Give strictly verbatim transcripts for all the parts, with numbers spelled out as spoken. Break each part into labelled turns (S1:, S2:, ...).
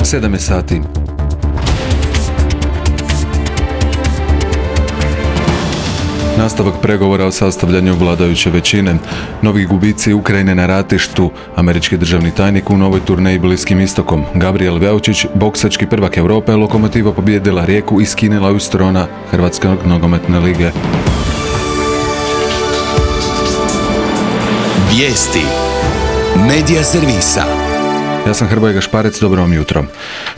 S1: sedam je sati. Nastavak pregovora o sastavljanju vladajuće većine, novi gubici Ukrajine na ratištu, američki državni tajnik u novoj turneji Bliskim istokom, Gabriel Veučić, boksački prvak Europe, Lokomotiva pobijedila Rijeku i skinila ju s trona Hrvatske nogometne lige.
S2: Vijesti Medija servisa.
S1: Ja sam Hrvoje Gašparec, dobro vam jutro.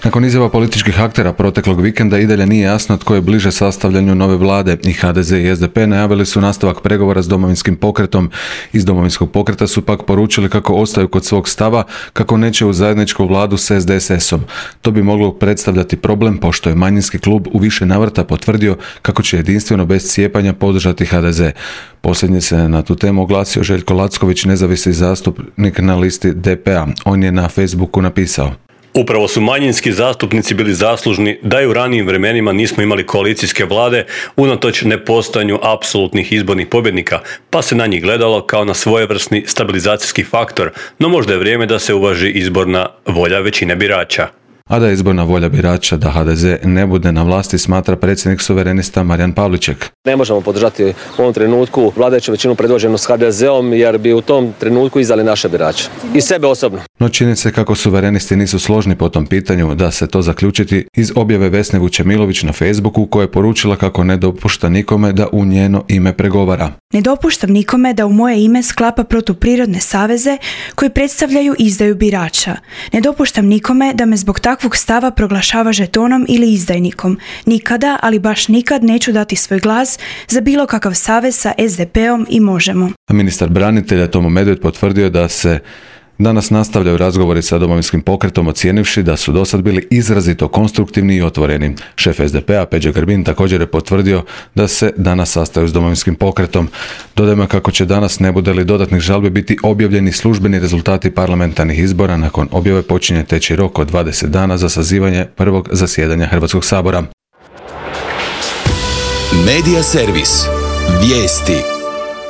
S1: Nakon izjava političkih aktera proteklog vikenda i dalje nije jasno tko je bliže sastavljanju nove vlade i H D Z i S D P najavili su nastavak pregovora s Domovinskim pokretom. Iz Domovinskog pokreta su pak poručili kako ostaju kod svog stava, kako neće u zajedničku vladu s S D S S-om. To bi moglo predstavljati problem, pošto je manjinski klub u više navrata potvrdio kako će jedinstveno bez cijepanja podržati H D Z. Posljednje se na tu temu oglasio Željko Lacković, nezavisni zastupnik na listi D P-a. On je na Facebooku napisao:
S3: Upravo su manjinski zastupnici bili zaslužni da i u ranijim vremenima nismo imali koalicijske vlade unatoč nepostojanju apsolutnih izbornih pobjednika, pa se na njih gledalo kao na svojevrsni stabilizacijski faktor, no možda je vrijeme da se uvaži izborna volja većine birača.
S1: A da je izborna volja birača da H D Z ne bude na vlasti, smatra predsjednik suverenista Marijan Pavliček.
S4: Ne možemo podržati u ovom trenutku vladajuću većinu predvođenu s H D Z-om jer bi u tom trenutku izdali naše birače i sebe osobno.
S1: No čini se kako suverenisti nisu složni po tom pitanju, da se to zaključiti iz objave Vesne Vučemilović na Facebooku, koja je poručila kako ne dopušta nikome da u njeno ime pregovara.
S5: Ne dopuštam nikome da u moje ime sklapa protuprirodne saveze koji predstavljaju izdaju birača. Ne dopuštam nikome da me zbog takvog stava proglašava žetonom ili izdajnikom. Nikada, ali baš nikad neću dati svoj glas za bilo kakav savez sa S D P-om i Možemo.
S1: A ministar branitelja Tomo Medved potvrdio da se danas nastavljaju razgovori sa Domovinskim pokretom, ocijenivši da su dosad bili izrazito konstruktivni i otvoreni. Šef S D P-a Peđa Grbin također je potvrdio da se danas sastaju s Domovinskim pokretom. Dodajmo kako će danas, ne bude li dodatnih žalbi, biti objavljeni službeni rezultati parlamentarnih izbora. Nakon objave počinje teći rok od dvadeset dana za sazivanje prvog zasjedanja Hrvatskog sabora.
S2: Medija servis. Vijesti.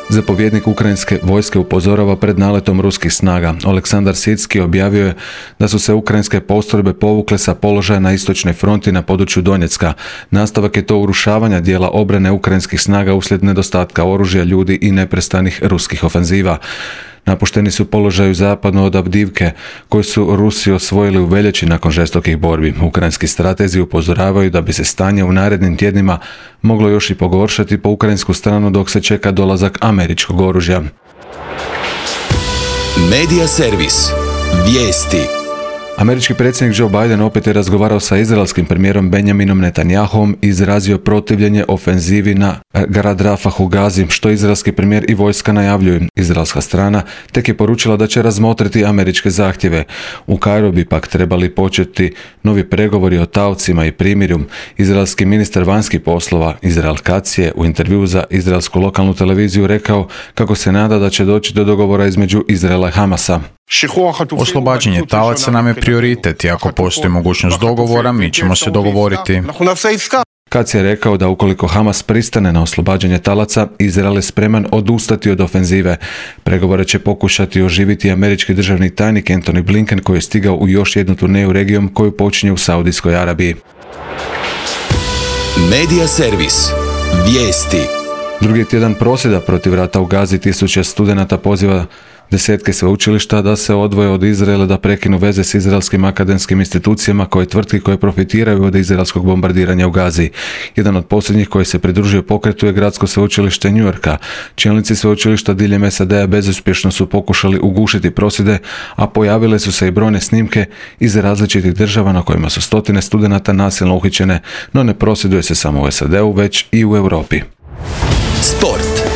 S1: Zapovjednik ukrajinske vojske upozorava pred naletom ruskih snaga. Oleksandar Sitski objavio je da su se ukrajinske postrojbe povukle sa položaja na istočnoj fronti na području Donjecka. Nastavak je to urušavanja dijela obrane ukrajinskih snaga uslijed nedostatka oružja, ljudi i neprestanih ruskih ofenziva. Napušteni su položaju zapadno od Avdivke, koji su Rusi osvojili u veljači nakon žestokih borbi. Ukrajinski stratezi upozoravaju da bi se stanje u narednim tjednima moglo još i pogoršati po ukrajinsku stranu dok se čeka dolazak američkog oružja.
S2: Medija servis. Vijesti.
S1: Američki predsjednik Joe Biden opet je razgovarao sa izraelskim premijerom Benjaminom Netanjahom i izrazio protivljenje ofenzivi na grad Rafah u Gazi, što izraelski premijer i vojska najavljuju. Izraelska strana tek je poručila da će razmotriti američke zahtjeve. U Kairu bi pak trebali početi novi pregovori o taocima i primirju. Izraelski ministar vanjskih poslova Izrael Katz je u intervjuu za izraelsku lokalnu televiziju rekao kako se nada da će doći do dogovora između Izraela i Hamasa.
S6: Oslobađanje talaca nam je prioritet i ako postoji mogućnost dogovora, mi ćemo se dogovoriti.
S1: Katz je rekao da ukoliko Hamas pristane na oslobađanje talaca, Izrael je spreman odustati od ofenzive. Pregovore će pokušati oživiti američki državni tajnik Antony Blinken, koji je stigao u još jednu turneju regijom koju počinje u Saudijskoj Arabiji.
S2: Medija servis. Vijesti.
S1: Drugi tjedan prosvjeda protiv rata u Gazi, tisuće studenata poziva desetke sveučilišta da se odvoje od Izraela, da prekinu veze s izraelskim akademskim institucijama koje tvrtki koje profitiraju od izraelskog bombardiranja u Gazi. Jedan od posljednjih koji se pridružio pokretu je Gradsko sveučilište New Yorka. Čelnici sveučilišta diljem S A D-a bezuspješno su pokušali ugušiti prosvjede, a pojavile su se i brojne snimke iz različitih država na kojima su stotine studenata nasilno uhićene, no ne prosvjeduje se samo u S A D-u, već i u Europi.
S2: Sport.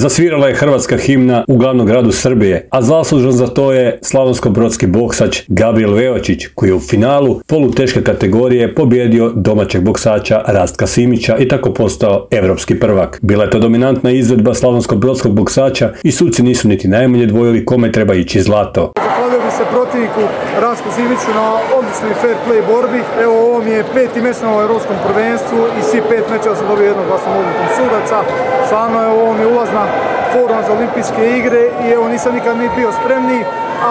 S3: Zasvirala je hrvatska himna u glavnom gradu Srbije, a zaslužan za to je slavonsko-brodski boksač Gabriel Veočić, koji je u finalu poluteške kategorije pobjedio domaćeg boksača Rastka Simića i tako postao evropski prvak. Bila je to dominantna izvedba slavonsko-brodskog boksača i suci nisu niti najmanje dvojili kome treba ići zlato.
S7: Zahvalio bi se protivniku Rastku Simiću na odličnoj fair play borbi. Evo, ovo mi je peti meč na ovom evropskom prvenstvu i svi pet mečeva sam dobio jednoglasnom odlukom sudaca. Stvarno je ovo mi ulazna forma za olimpijske igre i evo, nisam nikad ni bio spremniji,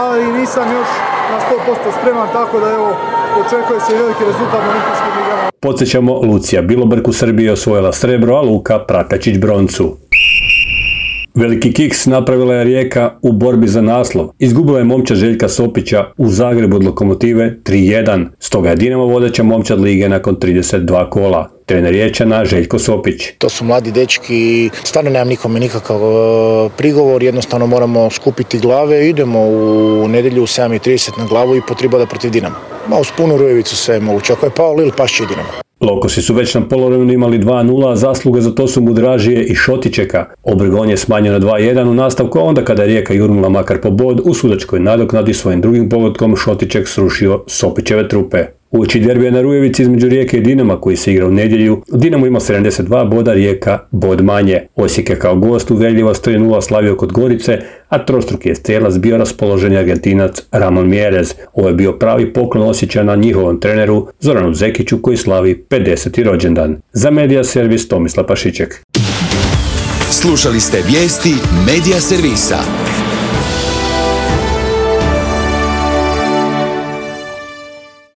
S7: ali nisam još na sto posto spreman, tako da evo, očekuje se veliki rezultat na olimpijskim igrama.
S3: Podsjećamo, Lucija Bilobrk u Srbiji je osvojila srebro, a Luka Prakačić broncu. Veliki kiks napravila je Rijeka u borbi za naslov. Izgubila je momčad Željka Sopića u Zagrebu od Lokomotive tri jedan. Stoga je Dinamo vodeća momčad lige nakon trideset dva kola. Trener Riječana Željko Sopić.
S8: To su mladi dečki i stvarno nemam nikome nikakav prigovor, jednostavno moramo skupiti glave, idemo u nedjelju u sedam i trideset na glavu i po tri boda protiv Dinama. Ma uz punu Rujevicu sve je moguće, ako je pao Lil, pašće i Dinamo.
S3: Lokosi su već na poluvremenu imali dva nula, a zasluge za to su Mudražije i Šotičeka. Obregon je smanjio na dva jedan u nastavku, a onda kada je Rijeka jurnula makar po bod, u sudačkoj nadoknadi svojim drugim pogodkom Šotiček srušio Sopićeve trupe. Uoči derbija na Rujevici između Rijeke i Dinama koji se igra u nedjelju, Dinamo ima sedamdeset dva boda, Rijeka bod manje. Osijek je kao gost uvjerljivo s tri nula slavio kod Gorice, a trostruki je strijelac bio raspoloženi Argentinac Ramon Mjerez. Ovo je bio pravi poklon Osječana njihovom treneru Zoranu Zekiću koji slavi pedeseti rođendan. Za Medija servis Tomislav Pašiček.
S2: Slušali ste vijesti Medija servisa.